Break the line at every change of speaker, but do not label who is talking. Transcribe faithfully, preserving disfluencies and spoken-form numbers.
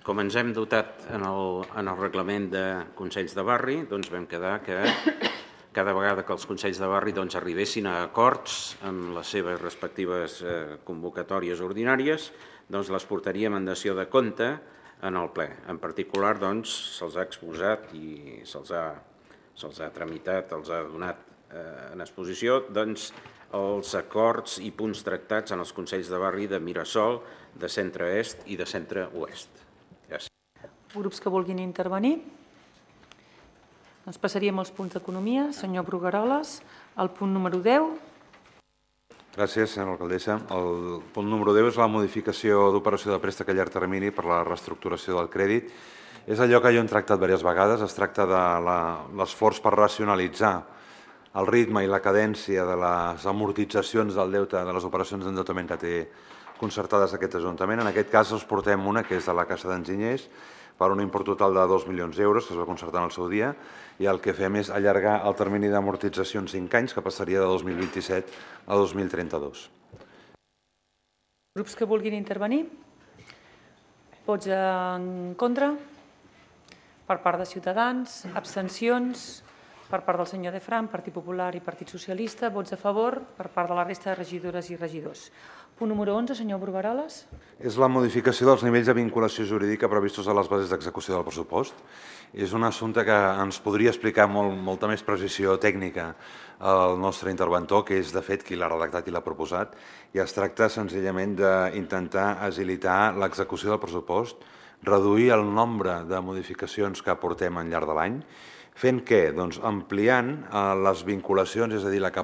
com ens hem dotat en el, en el reglament de Consells de Barri, doncs vam quedar que cada vegada que els Consells de Barri doncs, arribessin a acords amb les seves respectives eh, convocatòries ordinàries, doncs les portaríem en dació de compte en el ple. En particular, doncs, se'ls ha exposat i se'ls ha, se'ls ha tramitat, els ha donat eh, en exposició, doncs, els acords i punts tractats en els Consells de Barri de Mirasol, de centre-est i de centre-oest. Gràcies.
Grups que vulguin intervenir? Doncs passaríem als punts d'economia. Senyor Brugueroles, el punt número deu.
Gràcies, senyora alcaldessa. El punt número deu és la modificació d'operació de préstec a llarg termini per la reestructuració del crèdit. És allò que jo hem tractat diverses vegades. Es tracta de l'esforç per racionalitzar el ritme i la cadència de les amortitzacions del deute de les operacions d'endeutament que té concertades aquest Ajuntament. En aquest cas els portem una, que és de la Caixa d'Enginyers, per un import total de dos milions d'euros, que es va concertar en el seu dia, i el que fem és allargar el termini d'amortització en cinc anys, que passaria de dos mil vint-i-set a dos mil trenta-dos.
Grups que vulguin intervenir? Vots en contra? Per part de Ciutadans? Abstencions? Per part del senyor De Fran, Partit Popular i Partit Socialista. Vots a favor per part de la resta de regidores i regidors. Punt número onze, senyor Brugueroles.
És la modificació dels nivells de vinculació jurídica previstos a les bases d'execució del pressupost. És un assumpte que ens podria explicar molt, molta més precisió tècnica el nostre interventor, que és de fet qui l'ha redactat i l'ha proposat, i es tracta senzillament d'intentar agilitar l'execució del pressupost, reduir el nombre de modificacions que aportem al llarg de l'any, fent què? Doncs ampliant les vinculacions, és a dir, la capacitat